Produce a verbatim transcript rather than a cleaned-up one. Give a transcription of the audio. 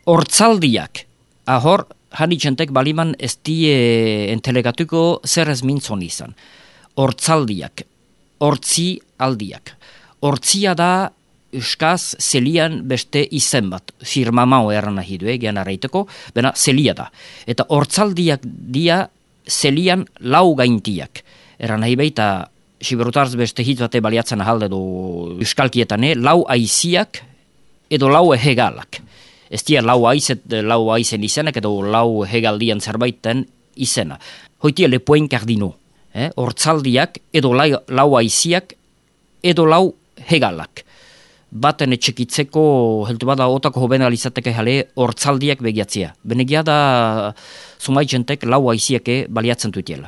Hortzaldiak, ahor, hanitxentek baliman ez die entelegatuko zer ez mintzon izan. Hortzaldiak, hortzi aldiak. Hortzia da euskaz zelian beste izen bat, firmamao erran nahi du, egean arraiteko, bena zelia da. Eta hortzaldiak dia zelian lau gaintiak. Erran nahi baita, siberutarz beste hitz bate baliatzen ahalde du euskalkietane, lau aiziak edo lau hegalak. Ez dia lau aizet, lau aizen izenak edo lau hegaldian zerbaiten izena. Hoitia lepoen kardino. Eh? Hortzaldiak edo lau, lau aiziak edo lau hegalak. Baten etxekitzeko, heltu bada otako hoben alizateke jale, hortzaldiak begiatzea. Benegia da, zumaizentek lau aiziake baliatzen dutiela.